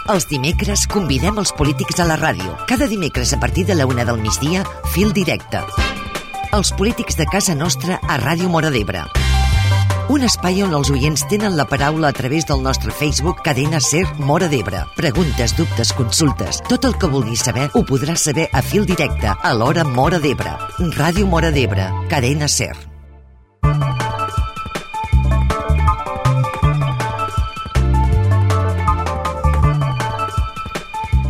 Els dimecres convidem els polítics a la ràdio. Cada dimecres a partir de la 1 del migdia, Fil Directe. Els polítics de casa nostra a Ràdio Móra d'Ebre. Un espai on els oients tenen la paraula a través del nostre Facebook Cadena Ser Móra d'Ebre. Preguntes, dubtes, consultes. Tot el que vulguis saber ho podràs saber a Fil Directe a l'hora Móra d'Ebre. Ràdio Móra d'Ebre. Cadena Ser.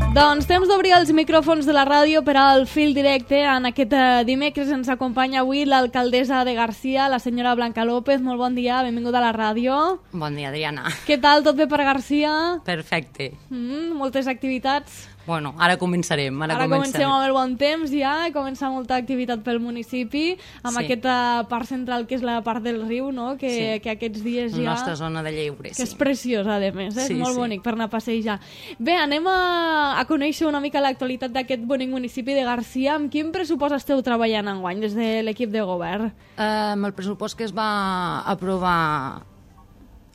Doncs temps d'obrir els micròfons de la ràdio per al Fil Directe. En aquest dimecres ens acompanya avui l'alcaldessa de Garcia, la senyora Blanca López. Molt bon dia, benvinguda a la ràdio. Bon dia, Adriana. Què tal, tot bé per Garcia? Perfecte. Moltes activitats. Bueno, ara començarem. Ara comencem amb el bon temps ja, comença molta activitat pel municipi, amb aquesta part central que és la part del riu, no? Que aquests dies ja... La nostra zona de lleure, que és preciosa, a més, és molt bonic per anar a passejar. Bé, anem a conèixer una mica l'actualitat d'aquest bonic municipi de Garcia. Amb quin pressupost esteu treballant enguany des de l'equip de govern? El pressupost que es va aprovar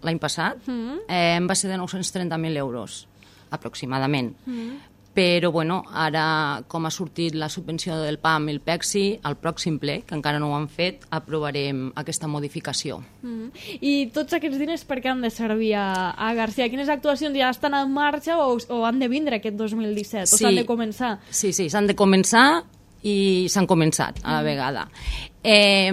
l'any passat va ser de 930.000 euros, aproximadament. Però, bueno, ara, com ha sortit la subvenció del PAM i el PECSI, al pròxim ple, que encara no ho han fet, aprovarem aquesta modificació. I tots aquests diners per què han de servir a Garcia? Quines actuacions ja estan en marxa o han de vindre aquest 2017? O s'han de començar? Sí, s'han de començar i s'han començat a la vegada.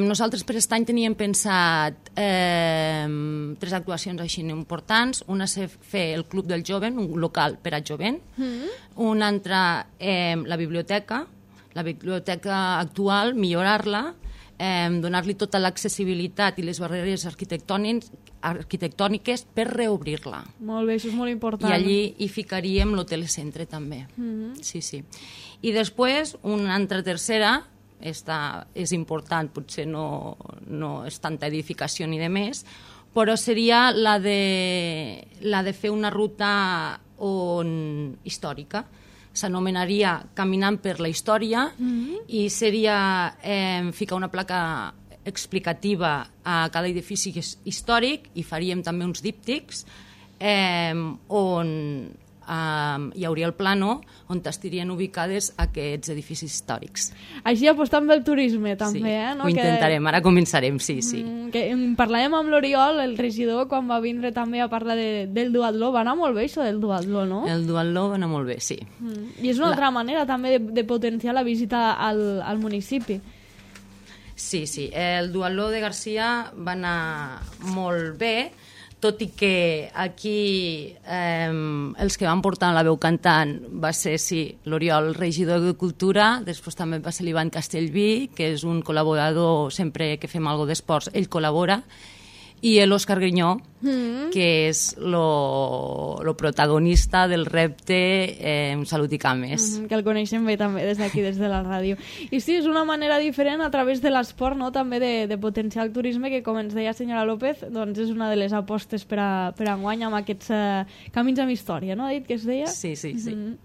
Nosaltres per aquest any teníem pensat 3 actuacions així importants. Una és fer el Club del Jovent, un local per a jovent. Una altra, la biblioteca actual, millorar-la, donar-li tota l'accessibilitat i les barreres arquitectòniques per reobrir-la. Molt bé, això és molt important. I allí hi ficaríem l'hotel centre també. Sí. I després, una altra tercera, esta és important, potser no és tanta edificació ni de més, però seria la de fer una ruta històrica. S'anomenaria Caminant per la Història i seria ficar una placa explicativa a cada edifici històric i faríem també uns díptics on hi hauria el plano on estarien ubicades aquests edificis històrics. Així apostant pel turisme també, no? Ho intentarem, ara començarem, sí. Parlàvem amb l'Oriol, el regidor, quan va vindre també a parlar del duatló. Va anar molt bé això del duatló, no? El duatló va anar molt bé, sí. I és una altra manera també de potenciar la visita al municipi. Sí, el duatló de Garcia va anar molt bé, tot i que aquí els que van portar la veu cantant va ser, l'Oriol, regidor de Cultura, després també va ser l'Ivan Castellví, que és un col·laborador, sempre que fem alguna cosa d'esports, ell col·labora, i l'Òscar Grinyó, que és el protagonista del repte Salut i Cames. Que el coneixem bé també des d'aquí, des de la ràdio. I sí, és una manera diferent a través de l'esport, no? També de potenciar el turisme, que com ens deia senyora López, doncs és una de les apostes per a enguany amb aquests camins amb història, no? Ha dit que es deia? Sí.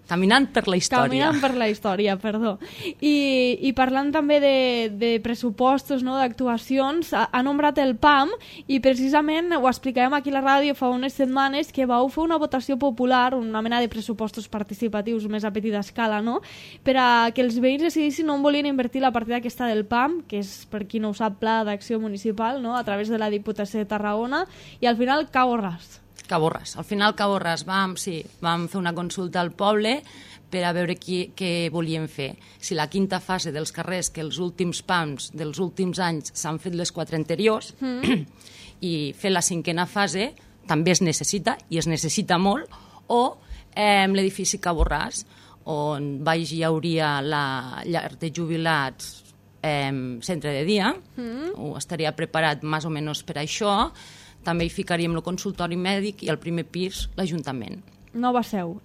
Caminant per la història. Caminant per la història, perdó. I parlant també de pressupostos, no? D'actuacions, ha nombrat el PAM i precisament ho explicàvem aquí a la ràdio fa unes setmanes que vau fer una votació popular, una mena de pressupostos participatius més a petita escala, no? Per a que els veïns decidissin on volien invertir la partida aquesta del PAM, que és, per qui no ho sap, Pla d'Acció Municipal, no? A través de la Diputació de Tarragona, i al final Cabo Ras. Al final Cabo Ras vam fer una consulta al poble per a veure què volíem fer. Si la quinta fase dels carrers, que els últims PAMs dels últims anys s'han fet les 4 anteriors, i fer la 5a fase també es necessita, i es necessita molt, o l'edifici Cabo Ras, on baix hi hauria la llar de jubilats, centre de dia, estaria preparat més o menys per això. També hi ficaríem el consultori mèdic i al primer pis l'Ajuntament. Nova seu,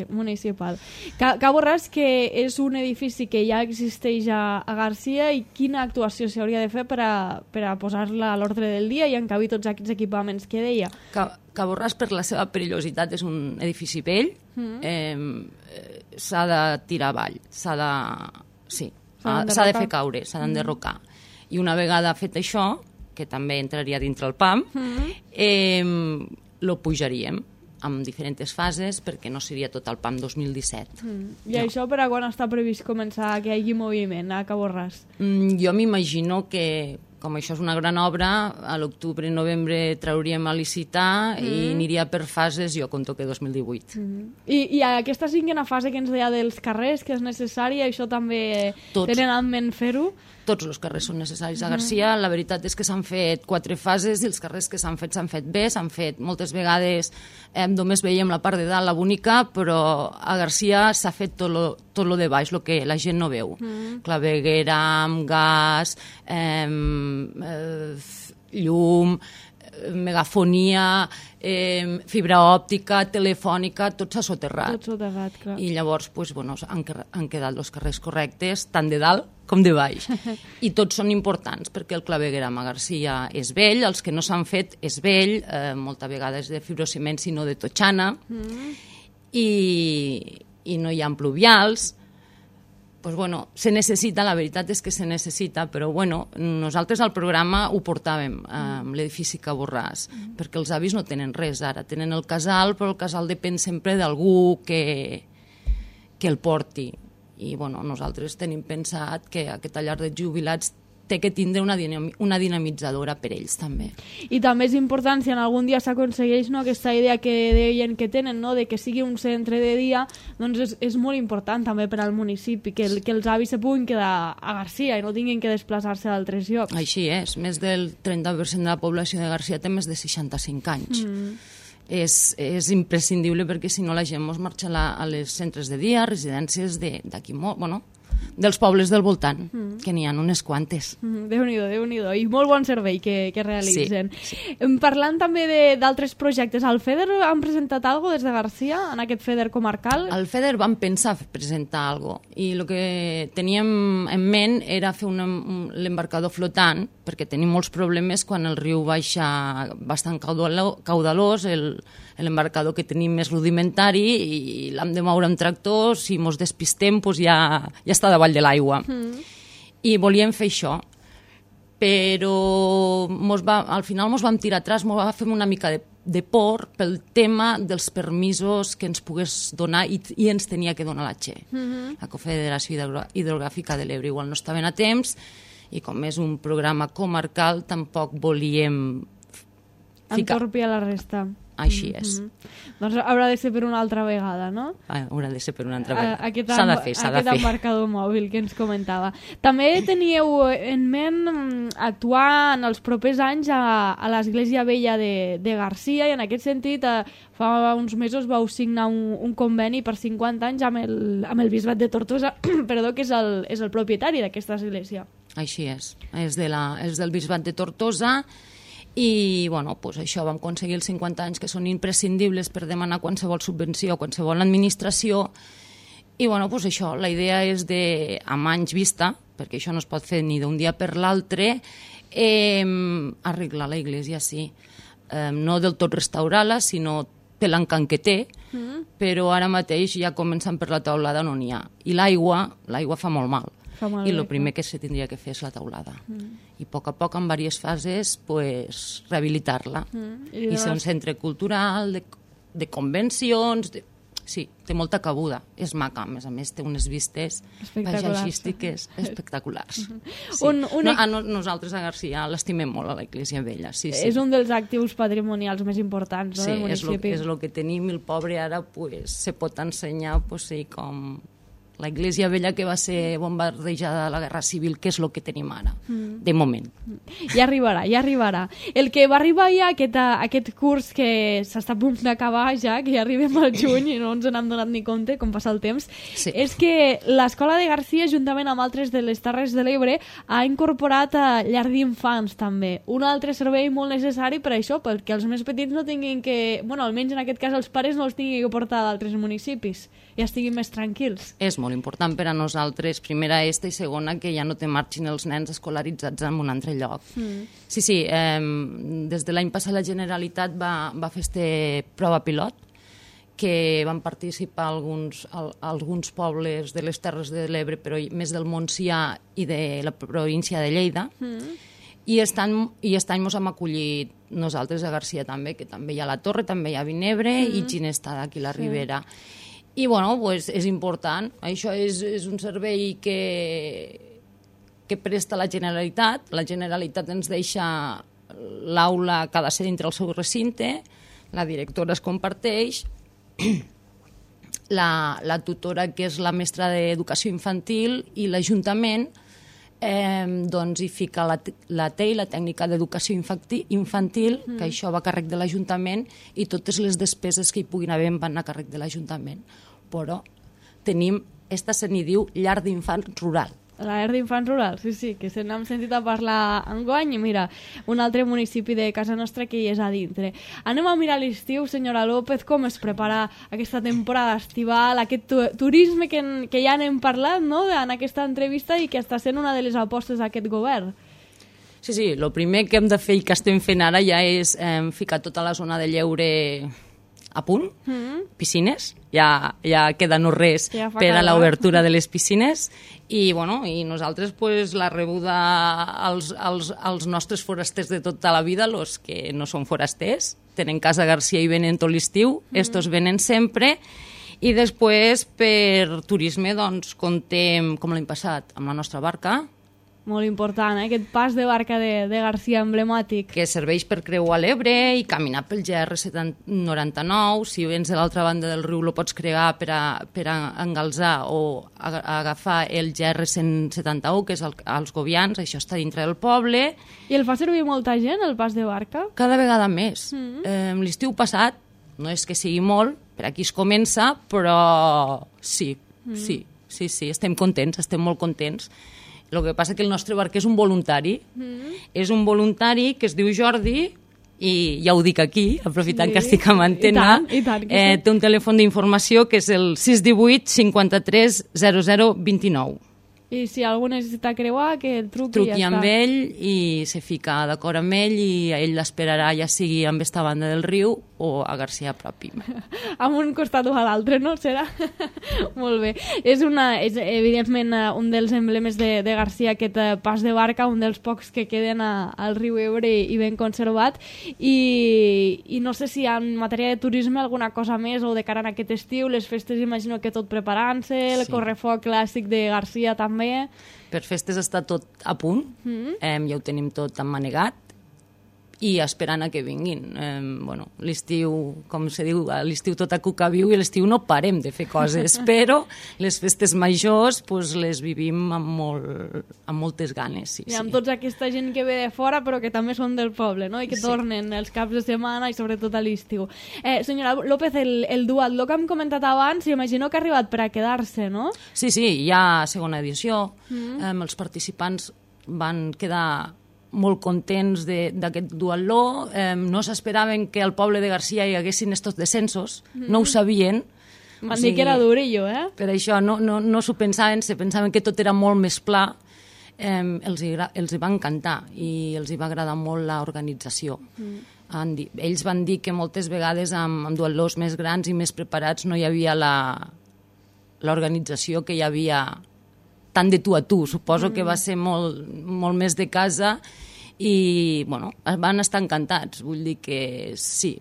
municipal. Cabo Ras, que és un edifici que ja existeix a Garcia, i quina actuació s'hauria de fer per a posar-la a l'ordre del dia i encabir tots aquests equipaments que deia? Cabo Ras, per la seva perillositat, és un edifici vell, s'ha de tirar avall, s'ha de fer caure, s'ha d'enderrocar. I una vegada fet això, que també entraria dintre el PAM, lo pujaríem. amb diferents fases, perquè no seria tot el PAM 2017. I això per a quan està previst començar que hi hagi moviment a Cabo Ras? Jo m'imagino que, com això és una gran obra, a l'octubre i novembre trauríem a licitar i aniria per fases, jo conto que 2018. I aquesta cinquena fase que ens deia dels carrers, que és necessària, això també tenen en ment fer-ho? Tots els carrers són necessaris a Garcia. La veritat és que s'han fet 4 fases i els carrers que s'han fet bé, s'han fet moltes vegades, només veiem la part de dalt, la bonica, però a Garcia s'ha fet tot lo de baix, el que la gent no veu. Claveguera, amb gas, llum, megafonia, fibra òptica, telefònica, tot s'ha soterrat. Tot soterrat, clar. I llavors han quedat els carrers correctes, tant de dalt com de baix. I tots són importants, perquè el clavegueram a Garcia és vell, els que no s'han fet és vell, molta vegada és de fibrociment, sinó de totxana, i no hi ha pluvials. Pues bueno, se necessita, la veritat és que se necessita, però bueno, nosaltres al programa ho portàvem amb l'edifici Cabo Ras, perquè els avis no tenen res ara, tenen el casal, però el casal depèn sempre d'algú que el porti. I bueno, nosaltres tenim pensat que aquesta llar de jubilats té que tindre una dinamitzadora per ells també. I també és important, si en algun dia s'aconsegueix aquesta idea que deien que tenen, de que sigui un centre de dia, doncs és molt important també per al municipi, que els avis se puguin quedar a Garcia i no tinguin que desplaçar-se a altres llocs. Així és, més del 30% de la població de Garcia té més de 65 anys. És imprescindible perquè si no la gent ens marxa a les centres de dia, residències d'aquí molt, bueno, dels pobles del voltant, que n'hi ha unes quantes. Déu-n'hi-do, Déu-n'hi-do. I molt bon servei que realitzen. Sí. Parlant també d'altres projectes, al FEDER han presentat alguna cosa des de Garcia, en aquest FEDER comarcal? Al FEDER vam pensar presentar alguna cosa, i el que teníem en ment era fer l'embarcador flotant, perquè tenim molts problemes quan el riu baixa bastant caudalós, l'embarcador que tenim més rudimentari i l'hem de moure amb tractor, si mos despistem ja està davall de l'aigua. I volíem fer això, però al final ens vam tirar atrás, ens va fer una mica de por pel tema dels permisos que ens pogués donar i ens tenia que donar la Che. La Confederació Hidrogràfica de l'Ebre igual no estaven a temps, i com és un programa comarcal tampoc volíem entorpir a la resta. Així és. Doncs haurà de ser per una altra vegada, no? Haurà de ser per una altra vegada. S'ha de fer. Aquest embarcador mòbil que ens comentava. També teníeu en ment actuar en els propers anys a l'Església Vella de Garcia, i en aquest sentit fa uns mesos vau signar un conveni per 50 anys amb el Bisbat de Tortosa, que és el propietari d'aquesta església. Així és. És del Bisbat de Tortosa. I bueno, doncs això, vam aconseguir els 50 anys que són imprescindibles per demanar qualsevol subvenció, qualsevol administració, i bueno, doncs això, la idea és amb anys vista, perquè això no es pot fer ni d'un dia per l'altre, arreglar la iglesia, sí. No del tot restaurar-la, sinó té l'encant que té, però ara mateix ja començant per la teulada no n'hi ha. I l'aigua fa molt mal. I el primer que se tindria que fer és la teulada. I a poc, en diverses fases, rehabilitar-la. I ser un centre cultural, de convencions... Sí, té molta cabuda. És maca, a més té unes vistes paisatgístiques espectaculars. Nosaltres a Garcia l'estimem molt, a l'Església Vella. És un dels actius patrimonials més importants del municipi. Sí, és el que tenim, i el pobre ara se pot ensenyar com... La Iglesia Vella que va ser bombardejada a la Guerra Civil, que és el que tenim ara, de moment. Ja arribarà. El que va arribar ja aquest curs que s'està a punt d'acabar ja, que ja arribem al juny i no ens n'hem donat ni compte com passa el temps, és que l'Escola de Garcia, juntament amb altres de les Terres de l'Ebre, ha incorporat llar d'infants també. Un altre servei molt necessari per això, perquè els més petits no tinguin que... almenys en aquest cas els pares no els tinguin que portar d'altres municipis i estiguin més tranquils. És molt important per a nosaltres, primera i segona, que ja no te marxin els nens escolaritzats en un altre lloc. Sí, des de l'any passat la Generalitat va fer aquesta prova pilot, que van participar alguns pobles de les Terres de l'Ebre, però més del Montsià i de la província de Lleida, i aquest any ens hem acollit nosaltres a Garcia també, que també hi ha la Torre, també hi ha Vinebre i Ginestar aquí a la Ribera. I, bueno, pues, és important. Això és un servei que presta la Generalitat. La Generalitat ens deixa l'aula que ha de ser dintre el seu recinte, la directora es comparteix, la tutora, que és la mestra d'educació infantil, i l'Ajuntament doncs hi fica la TEI, la tècnica d'educació infantil, que això va a càrrec de l'Ajuntament, i totes les despeses que hi puguin haver van a càrrec de l'Ajuntament. Però tenim, esta se n'hi diu llar d'infants rural. La llar d'infants rural, sí, que se n'hem sentit a parlar enguany, i mira, un altre municipi de casa nostra que hi és a dintre. Anem a mirar l'estiu, senyora López, com es prepara aquesta temporada estival, aquest turisme que ja n'hem parlat, no?, en aquesta entrevista, i que està sent una de les apostes d'aquest govern. Sí, el primer que hem de fer i que estem fent ara ja és ficar tota la zona de lleure a punt, piscines, ja queda no res per a l'obertura de les piscines, i nosaltres pues, la rebuda als nostres forasters de tota la vida, els que no són forasters, tenen casa a Garcia i venen tot l'estiu, estos venen sempre, i després per turisme doncs contem, com l'any passat, amb la nostra barca, molt important, aquest pas de barca de Garcia emblemàtic. Que serveix per creuar l'Ebre i caminar pel GR99. Si vens de l'altra banda del riu, lo pots crear per a engalzar o agafar el GR171, que és als Govians, això està dintre del poble. I el fa servir molta gent, el pas de barca? Cada vegada més. L'estiu passat, no és que sigui molt, per aquí es comença, però sí, estem contents, estem molt contents. El que passa que el nostre barquer és un voluntari. És un voluntari que es diu Jordi, i ja ho dic aquí, aprofitant que estic amb antena, té un telèfon d'informació que és el 618 53 00 29. I si algú necessita creuar, que truqui i ja està. Amb ell i se fica d'acord amb ell i ell l'esperarà, ja sigui amb esta banda del riu o a Garcia propi. Amb un costat o a l'altre, no? Serà? Molt bé. És evidentment un dels emblemes de Garcia, aquest pas de barca, un dels pocs que queden al riu Ebre i ben conservat. I no sé si en matèria de turisme alguna cosa més o de cara a aquest estiu, les festes imagino que tot preparant-se, el correfoc clàssic de Garcia també. Per festes està tot a punt, ja ho tenim tot emmanegat i esperant a que vinguin. L'estiu, com se diu, l'estiu tot a cuca viu, i l'estiu no parem de fer coses, però les festes majors les vivim amb moltes ganes. I amb tota aquesta gent que ve de fora però que també són del poble, no? I que tornen els caps de setmana i sobretot a l'estiu. Senyora López, el duatló que hem comentat abans, imagino que ha arribat per a quedar-se, no? Sí, hi ha segona edició. Els participants van quedar molt contents d'aquest duatló. No s'esperaven que al poble de Garcia hi haguessin estos descensos, no ho sabien. Van dir que era durillo, Per això no s'ho pensaven, se pensaven que tot era molt més pla. Els hi va encantar i els hi va agradar molt l'organització. Ells van dir que moltes vegades amb duatlós més grans i més preparats no hi havia l'organització que hi havia tant de tu a tu. Suposo que va ser molt més de casa i van estar encantats. Vull dir que sí.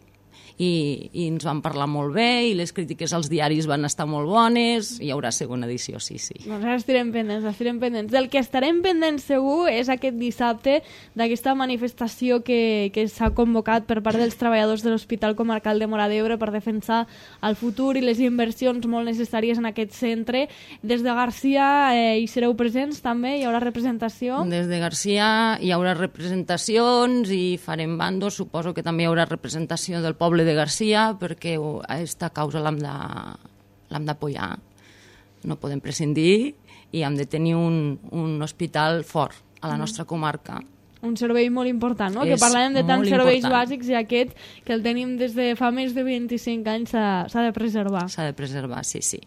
I ens van parlar molt bé i les crítiques als diaris van estar molt bones. Hi haurà segona edició, sí. Doncs ara estarem pendents. Del que estarem pendents segur és aquest dissabte d'aquesta manifestació que s'ha convocat per part dels treballadors de l'Hospital Comarcal de Móra d'Ebre per defensar el futur i les inversions molt necessàries en aquest centre. Des de Garcia hi sereu presents també? Hi haurà representació? Des de Garcia hi haurà representacions i farem bandos. Suposo que també hi haurà representació del poble de Garcia, perquè aquesta causa l'hem d'apoyar. No podem prescindir i hem de tenir un hospital fort a la nostra comarca. Un servei molt important, no? Que parlàvem de tants serveis bàsics i aquest, que el tenim des de fa més de 25 anys, s'ha de preservar. S'ha de preservar, sí.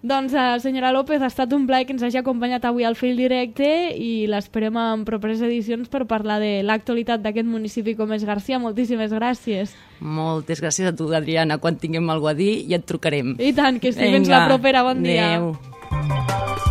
Doncs, senyora López, ha estat un plaer que ens hagi acompanyat avui al Fil Directe i l'esperem en properes edicions per parlar de l'actualitat d'aquest municipi com és Garcia. Moltíssimes gràcies. Moltes gràcies a tu, Adriana. Quan tinguem alguna cosa a dir ja et trucarem. I tant, que sí. Fins la propera. Bon dia. Adéu.